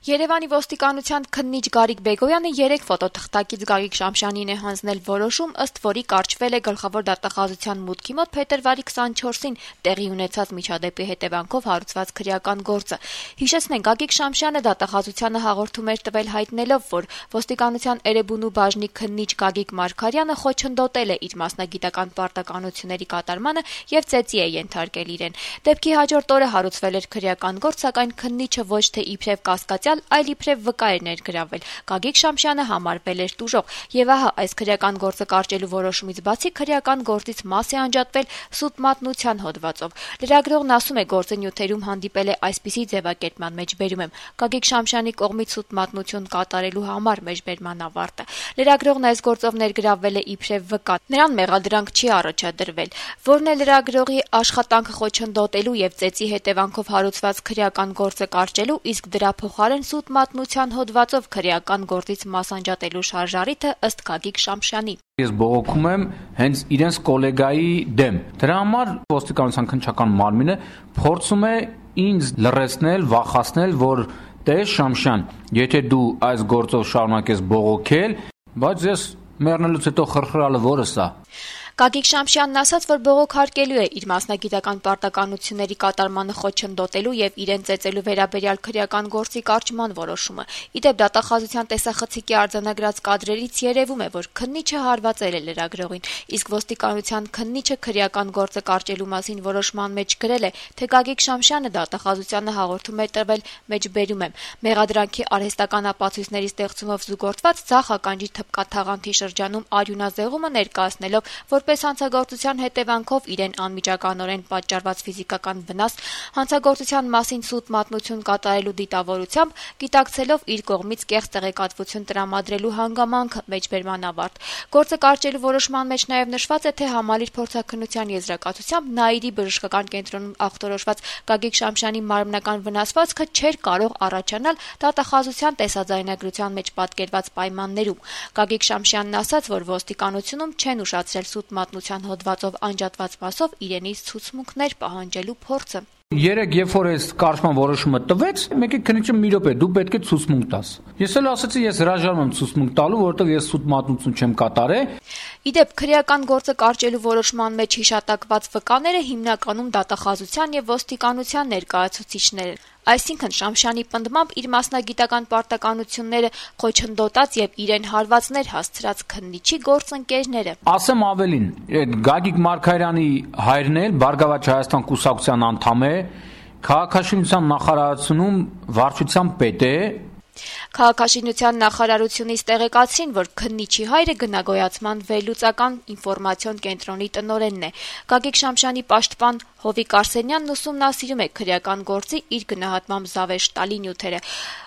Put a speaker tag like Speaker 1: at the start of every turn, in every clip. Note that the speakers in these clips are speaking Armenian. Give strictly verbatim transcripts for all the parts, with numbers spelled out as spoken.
Speaker 1: Երևանի ոստիկանության քննիչ Գարիկ Բեգոյանը երեք ֆոտոթղթակից Գագիկ Շամշյանին է հանձնել որոշում, ըստ որի կարճվել է գլխավոր դատախազության մուտքի մոտ փետրվարի քսանչորսին տեղի ունեցած միջադեպի հետևանքով հարուցված քրեական գործը։ Հիշեցնենք, Գագիկ Շամշյանը դատախազությանը հաղորդում էր տվել հայտնելով, որ ոստիկանության Էրեբունու բաժնի քննիչ Գագիկ Մարգարյանը խոչընդոտել է իր մասնագիտական պարտականությունների կատարմանը եւ ծեծի է ենթարկել իրեն։ Դեպքի հաջորդ օրը հարուցվել էր քրեական գործ, սակայն քննիչը ոչ թե իբրև կասկածյալ, այլ իբրև վկա էր ներգրավել։ Գագիկ Շամշյանը համարվել էր տուժող, եւ ահա այս քրեական գործը կարճելու որոշումից բացի քրեական գործից մաս է անջատվել սուտ մատնության հոդվածով։ Լրագրողն ասում է, գործը նյութերում հանդիպել է այսպիսի ձևակերպման մեջ բերում եմ. Գագիկ Շամշյանի կողմից սուտ մատնություն կատարելու համար մեջբերման ավարտը։ Լրագրողն այս գործով ներգրավվել է իբրև վկա։ Նրան մեղադրանք չի առաջադրվել, որն է լրագրողի աշխատանքը խոչընդոտելու եւ ծեծի հետևանքով հարուցված քրեական գործը կարճելու, իսկ դրա փոխարեն սուտ մատնության հոդվածով քրեական գործից մասանջատելու շարժառիթը ըստ Գագիկ Շամշյանի։
Speaker 2: Ես բողոքում եմ հենց իրենց կոլեգայի դեմ։ Դրա համար ոստիկանության քննչական մարմինը փորձում է ինձ լռեցնել, վախեցնել, որ տես Շամշյան, եթե դու այս գործով շարունակես բողոքել, բայց ես մեռնելուց հետո խրխրալը որս է։
Speaker 1: Գագիկ Շամշյանն ասաց, որ բողոքարկելու է իր մասնագիտական պարտականությունների կատարմանը խոչընդոտելու եւ իրեն ծեծելու վերաբերյալ քրեական գործի կարճման որոշումը։ Իդեպ դատախազության տեսախցիկի արձանագրած կադրերից երևում է, որ քննիչը հարվածել է լրագրողին, իսկ ոստիկանության քննիչը քրեական գործը կարճելու մասին որոշման մեջ գրել է, թե Գագիկ Շամշյանը դատախազությանը հաղորդում է տվել մեջբերում եմ։ Մեղադրանքի արհեստական ապացույցների ստեղծումով զուգորդված ցախ ականջի թփկաթաղանթի շրջանում արյունազեղումը ներկայացնելով, որպես հանցագործության հետևանքով իրեն անմիջականորեն պատճառված ֆիզիկական վնաս, հանցագործության մասին սուտ մատնություն կատարելու դիտավորությամբ, գիտակցելով իր կողմից կեղծ տեղեկատվություն տրամադրելու հանգամանքը մեջբերման ավարտ։ Գործը կարճելու որոշման մեջ նաև նշված է, թե համալիր փորձաքննության եզրակացությամբ Նաիրի բժշկական կենտրոնում ախտորոշված Գագիկ Շամշյանի մարմնական վնասվածքը չէր կարող առաջանալ դատախազության տեսաձայնագրության մեջ պատկերված պայմաններում։ Գագիկ Շամշյանն ասաց, որ ոստիկանությունում չեն ուշացրել սուտ մատնության հոդվածով անջատված մասով իրենից ցուցմունքներ պահանջելու փորձը։
Speaker 2: Երեք երբ որ այս կարճման որոշումը տվեց, մեկի քննիչը մի րոպե դու պետք է ցուցմունք տաս։ Ես էլ ասացի, ես հրաժարվում եմ ցուցմունք տալու, որովհետև ես սուտ մատնություն չեմ կատարել։
Speaker 1: Իդեպ քրեական գործը կարճելու որոշման մեջ հիշատակված վկաները հիմնականում դատախազության եւ ոստիկանության ներկայացուցիչներ են։ Այսինքն Շամշյանի պնդմամբ իր մասնագիտական պարտականությունները խոչընդոտած եւ իրեն հարվածներ հասցրած քննիչի գործընկերները։
Speaker 2: Ասեմ ավելին, Գագիկ Մարգարյանի հայրն էլ Բարգավաճ Հայաստան կուսակցության անդամ է, քաղաքաշինության նախարարությունում վարչության պետ է։
Speaker 1: Քաղաքաշինության նախարարությունից տեղեկացրին, որ քննիչի հայրը գնագոյացման վերլուծական ինֆորմացիոն կենտրոնի տնօրենն է։ Գագիկ Շամշյանի պաշտպան Հովիկ Արսենյանն ուսումնասիրում է քրեական գործի իր գնահատմամբ զավեշ տալի նյութերը։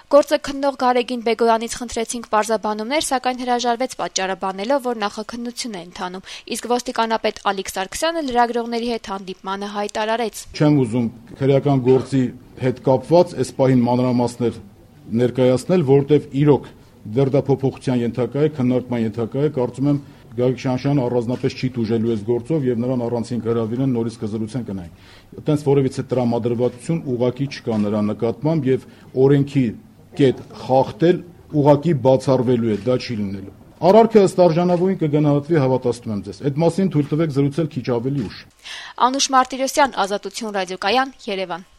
Speaker 1: Գործը քննող Գարեգին Բեգոյանից խնդրեցինք պարզաբանումներ, սակայն հրաժարվեց պատճառը բանելով, որ նախաքննություն է ընթանում, իսկ ոստիկանապետ Ալիկ Սարգսյանը լրագրողների հետ հանդիպմանը հայտարարեց.
Speaker 3: Չեմ ուզում քրեական գործի հետ կապված այս պահին մանրամասներ ներկայացնել, որտեղ իրոք դեռ դա փոփոխության ենթակա է, քննարկման ենթակա է, կարծում եմ Գագիկ Շամշյանը առանձնապես չի տուժելու այս գործով եւ նրան առանցին կհրավիրեն նորից կզրուցեն կնային։ Այդտենց որևիցե տրամադրվածություն ուղակի չկա նրա նկատմամբ եւ օրենքի կետ խախտել ուղակի բացառվելու է, դա չի լինելու։ Արարքը ըստ արժանավորին կգնահատվի, հավատացնում եմ ձեզ։ Այդ մասին թույլ տվեք զրուցել քիչ ավելի ուշ։
Speaker 1: Անուշ Մարտիրոսյան, Ազատություն ռադիոկայան, Երևան։